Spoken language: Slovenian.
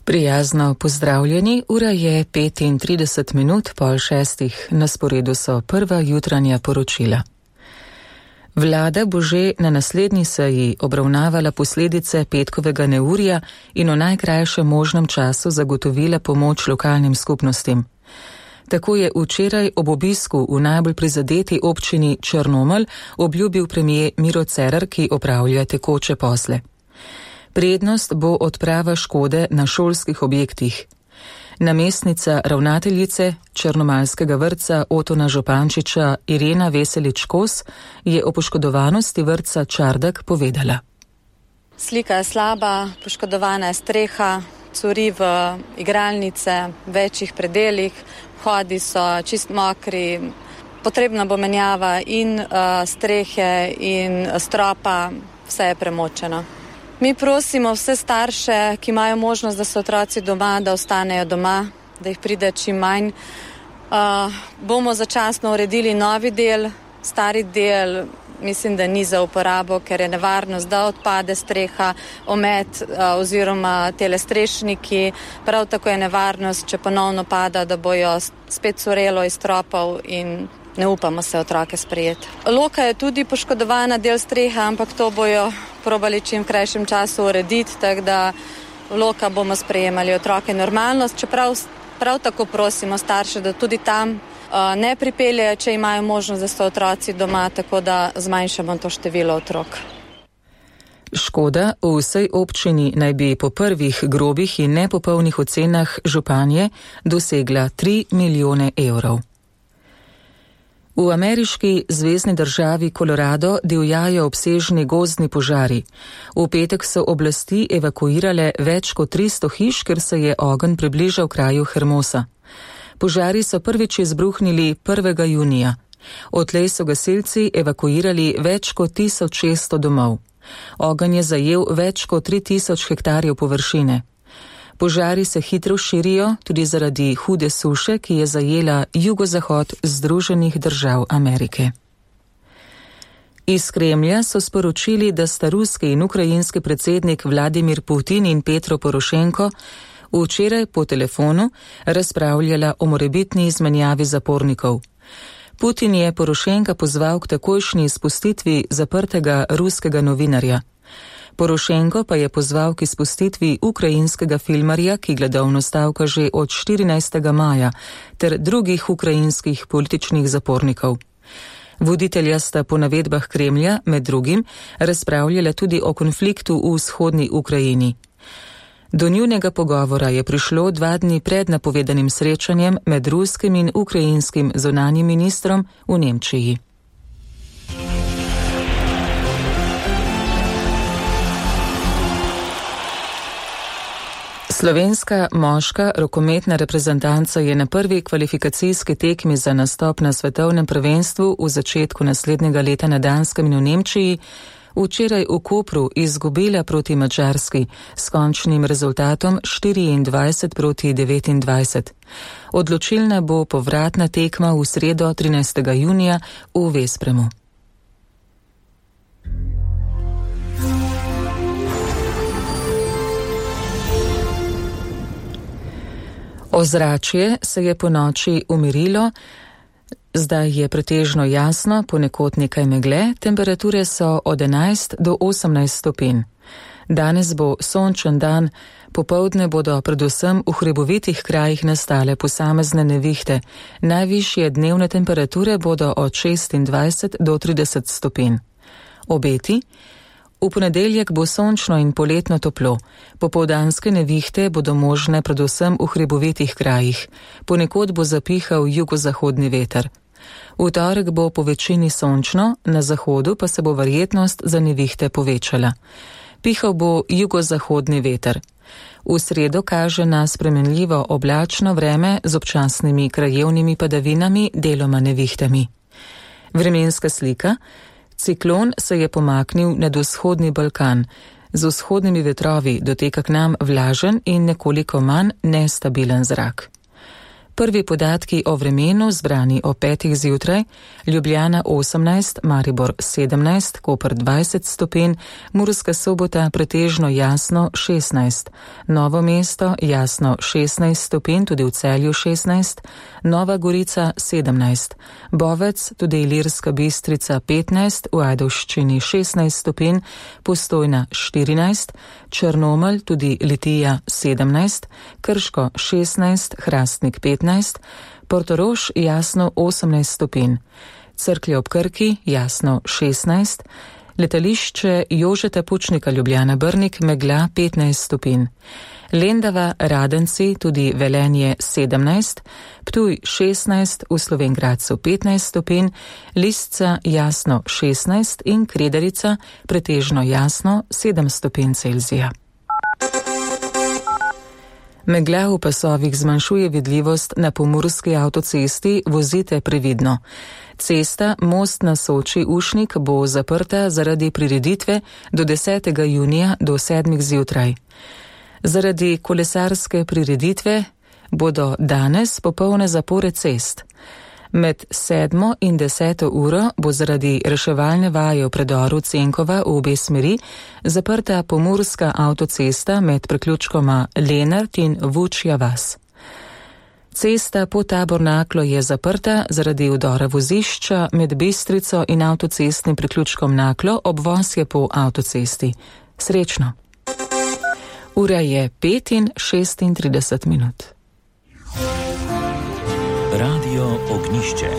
Prijazno pozdravljeni, ura je 5:35, na sporedu so prva jutranja poročila. Vlada bo že na naslednji seji obravnavala posledice petkovega neurja in v najkrajšem možnem času zagotovila pomoč lokalnim skupnostim. Tako je včeraj ob obisku v najbolj prizadeti občini Črnomelj obljubil premier Miro Cerar, ki opravlja tekoče posle. Prednost bo odprava škode na šolskih objektih. Namestnica ravnateljice Črnomaljskega vrtca Otona Župančiča Irena Veselič-Kos je o poškodovanosti vrtca Čardak povedala. Slika je slaba, poškodovana je streha, curi v igralnice, večjih predelih, vhodi so čist mokri, potrebna bo menjava in strehe in stropa, vse je premočeno. Mi prosimo vse starše, ki imajo možnost, da so otroci doma, da ostanejo doma, da jih pride čim manj. Bomo začasno uredili novi del, stari del, mislim, da ni za uporabo, ker je nevarnost, da odpade streha, omet oziroma telestrešniki. Prav tako je nevarnost, če ponovno pada, da bojo spet curelo iz stropov in ne upamo se otroke sprejeti. Loka je tudi poškodovana, del streha, ampak to bojo probali čim v krajšem času urediti, tako da loka bomo sprejemali otroke normalnost, čeprav prav tako prosimo starše, da tudi tam ne pripeljejo, če imajo možnost, da so otroci doma, tako da zmanjšamo to število otrok. Škoda v vsej občini naj bi po prvih grobih in nepopolnih ocenah županje dosegla 3 milijone evrov. V ameriški zvezni državi Colorado divjajo obsežni gozdni požari. V petek so oblasti evakuirale več kot 300 hiš, ker se je ogenj približal kraju Hermosa. Požari so prvič izbruhnili 1. junija. Odtlej so gasilci evakuirali več kot 1600 domov. Ogenj je zajel več kot 3000 hektarjev površine. Požari se hitro širijo tudi zaradi hude suše, ki je zajela jugozahod Združenih držav Amerike. Iz Kremlja so sporočili, da sta ruski in ukrajinski predsednik Vladimir Putin in Petro Porošenko včeraj po telefonu razpravljala o morebitni izmenjavi zapornikov. Putin je Porošenka pozval k takojšnji izpustitvi zaprtega ruskega novinarja. Porošenko pa je pozval k izpustitvi ukrajinskega filmarja, ki gladovno stavka že od 14. maja, ter drugih ukrajinskih političnih zapornikov. Voditelja sta po navedbah Kremlja med drugim razpravljala tudi o konfliktu v vzhodni Ukrajini. Do njunega pogovora je prišlo 2 dni pred napovedanim srečanjem med ruskim in ukrajinskim zunanjim ministrom v Nemčiji. Slovenska moška rokometna reprezentanca je na prvi kvalifikacijski tekmi za nastop na svetovnem prvenstvu v začetku naslednjega leta na Danskem in v Nemčiji včeraj v Kopru izgubila proti Madžarski s končnim rezultatom 24-29. Odločilna bo povratna tekma v sredo 13. junija v Vespremu. Ozračje se je po noči umirilo, zdaj je pretežno jasno, ponekod nekaj megle, temperature so od 11 do 18 stopinj. Danes bo sončen dan, popoldne bodo predvsem v hribovitih krajih nastale posamezne nevihte, najvišje dnevne temperature bodo od 26 do 30 stopinj. Obeti? V ponedeljek bo sončno in poletno toplo. Popoldanske nevihte bodo možne predvsem v hribovitih krajih. Ponekod bo zapihal jugozahodni veter. V torek bo po večini sončno, na zahodu pa se bo verjetnost za nevihte povečala. Pihal bo jugozahodni veter. V sredo kaže na spremenljivo oblačno vreme z občasnimi krajevnimi padavinami, deloma nevihtami. Vremenska slika. Ciklon se je pomaknil nad vzhodni Balkan. Z vzhodnimi vetrovi doteka k nam vlažen in nekoliko manj nestabilen zrak. Prvi podatki o vremenu zbrani o 5. zjutraj, Ljubljana 18, Maribor 17, Koper 20 stopinj, Murska Sobota pretežno jasno 16, Novo mesto jasno 16 stopinj, tudi v Celju 16, Nova Gorica 17, Bovec, tudi Ilirska Bistrica 15, v Ajdovščini 16 stopinj, Postojna 14, Črnomelj, tudi Litija 17, Krško 16, Hrastnik 15, Portorož jasno 18 stopinj, Cerklje ob Krki jasno 16, letališče Jožeta Pučnika Ljubljana Brnik megla 15 stopinj, Lendava, Radenci, tudi Velenje 17, Ptuj 16, v Slovenj Gradcu 15 stopinj, Lisca jasno 16 in Kredarica pretežno jasno 7 stopinj Celzija. Megla v pasovih zmanjšuje vidljivost na pomurski avtocesti, vozite previdno. Cesta Most na Soči-Ušnik bo zaprta zaradi prireditve do 10. junija do 7. zjutraj. Zaradi kolesarske prireditve bodo danes popolne zapore cest. Med 7. in 10. uro bo zaradi reševalne vaje v predoru Cenkova v obe smeri zaprta pomurska avtocesta med priključkoma Lenart in Vučja vas. Cesta po Tabornaklo je zaprta zaradi vdora vozišča med Bistrico in avtocestnim priključkom Naklo, obvoz je po avtocesti. Srečno! Ura je 5:36. Radio Ognišče.